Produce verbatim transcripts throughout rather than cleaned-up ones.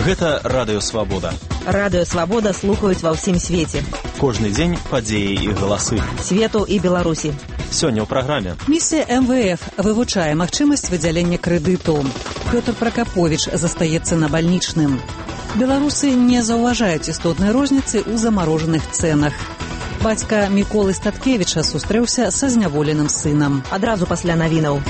Гэта Радыё Свабода. Радыё Свабода слухаюць ва ўсім свеце. Кожны дзень падзеі і галасы. Свету і Беларусі. Сёння ў праграме. Місія эм вэ эф вывучае магчымасць выдзялення крэдыту. Пётр Пракаповіч застаецца на бальнічным. Беларусы не заўважаюць істотнай розніцы ў замарожаных цэнах. Бацька Міколы Статкевіча сустрэўся са зняволеным сынам. Адразу пасля навінаў.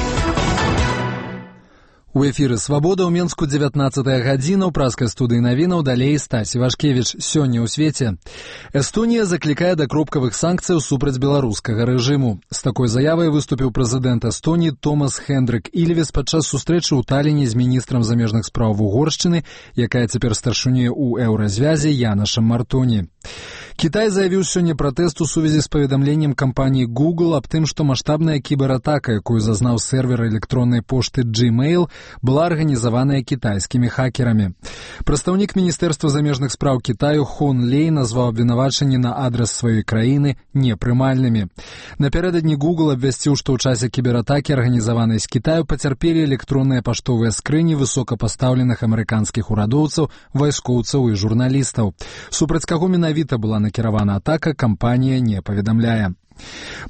У эфіры «Свабода» ў Менску дзевятнаццатая гадзіна, ў праскай студыі навінаў далей Стась Івашкевіч. Сёння ў свеце. Эстонія заклікае да кропкавых санкцыяў супраць беларускага рэжыму. З такой заявай выступіў прэзідэнт Эстоніі Томас Хендрик Ільвес падчас сустрэчы ў Таліне з міністрам замежных спраў Угоршчыны, якая цяпер старшынюе ў еўразвязе Янашам Мартоні. Кітай заявіў сёння пратэст у сувязі з паведамленнем кампаніі Google аб тым, што маштабная кібератака, якую зазнаў сервер электроннай пошты Gmail, была арганізаваная кітайскімі хакерамі. Прадстаўнік Міністэрства замежных спраў Кітаю Хон Лей назваў абвінавачанні на адрас сваёй краіны непрымальнымі. Напярэдадні Google абвясціў, што ў часе кібератакі, арганізаванай з Кітаю, пацярпелі электронныя паштовыя скрыні высокапастаўленых амерыканскіх урадоўцаў, вайскоўцаў і журналістаў. Супраць каго менавіта была накіравана атака, кампанія не паведамляе.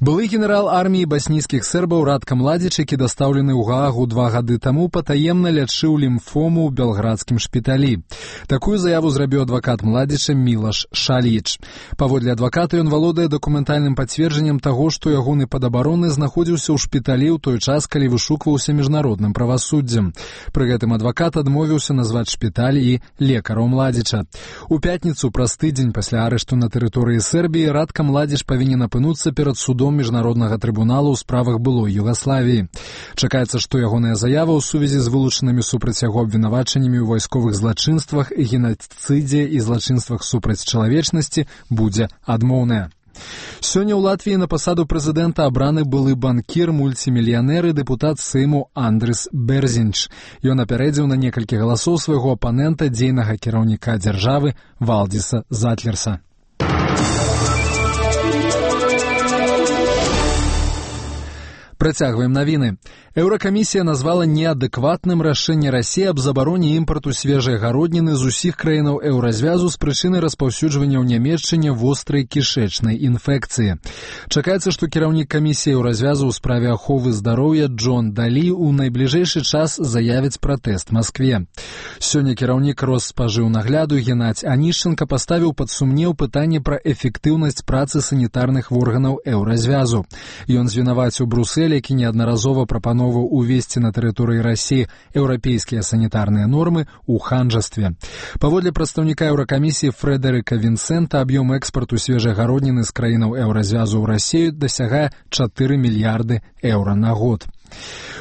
Былы генерал арміі баснійскіх сербаў Радка Младзіч, які дастаўлены ў Гаагу два гады таму, патаемна лячыў лімфому ў белградскім шпіталі. Такую заяву зрабіў адвакат Младзіча Мілаш Шаліч. Паводле адваката, ён валодае дакументальным пацверджаннем таго, што ягоны падабароны знаходзіўся ў шпіталі ў той час, калі вышукваўся міжнародным правасуддзем. Пры гэтым адвакат адмовіўся назваць шпіталь і лекараў Младзіча. У пятніцу, праз тыдзень пасля арышту на тэрыторыі Сербіі, Радка Младзіч павінен апынуцца перад судом міжнароднага трыбуналу ў справах былой Югаславіі. Чакаецца, што ягоная заява ў сувязі з вылучанымі супраць яго абвінавачаннямі ў вайсковых злачынствах, генацыдзе і злачынствах супраць чалавечнасці будзе адмоўная. Сёння ў Латвіі на пасаду прэзідэнта абраны былы банкір, мульцімільянер і дэпутат Сейму Андрыс Берзінч. Ён апярэдзіў на некалькі галасоў свайго апанента, дзейнага кіраўніка дзяржавы Валдіса Затлерса. Працягваем навіны. Еўракамісія назвала неадэкватным рашэнне Расіі аб забароне імпарту свежай гародніны з усіх краінаў еўразвязу з прычыны распаўсюджвання ў Нямецчыне вострай кішэчнай інфекцыі. Чакаецца, што кіраўнік камісіі еўразвязу ў справе аховы здароўя Джон Далі ў найбліжэйшы час заявіць пратэст Маскве. Сёння кіраўнік Росспажыўнагляду Геннадзь Анішченка паставіў пад сумнеў пытанне пра эфектыўнасць працы санітарных органаў еўразвязу. Ён звінаваціў Брусэль, які неаднаразова прапановаў увесці на тэрыторыі Расіі еўрапейскія санітарныя нормы ў ханжастве. Паводле прадстаўніка Еўракамісіі Фрэдэрыка Вінсента, аб'ём экспарту свежай гародніны з краінаў еўразвязу ў Расію дасягае чатыры мільярды еўра на год.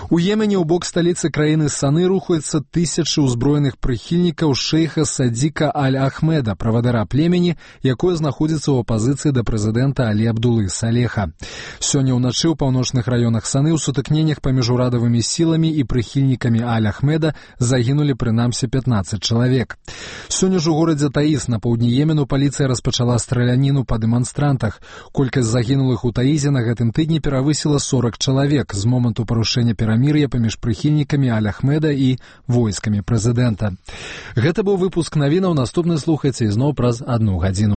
У Йемене ў бок сталіцы краіны Саны рухаюцца тысячы ўзброеных прыхільнікаў шэйха Садзіка Аль-Ахмеда, правадыра племені, якое знаходзіцца ў апазіцыі да прэзідэнта Алі Абдулы Салеха. Сёння ўначы ў паўночных раёнах Саны ў сутыкненнях паміж урадавымі сіламі і прыхільнікамі Аль-Ахмеда загінулі прынамсі пятнаццаць чалавек. Сёння ж у горадзе Таіз на паўдні Йемену паліцыя распачала страляніну па дэманстрантах. Колькасць загінулых у Таізе на гэтым тыдні перавысіла сорак чалавек з моманту парушэння перамір'я паміж прыхільнікамі Аль-Ахмеда і войскамі прэзідэнта. Гэта быў выпуск навінаў. Наступны слухайце ізноў праз адну гадзіну.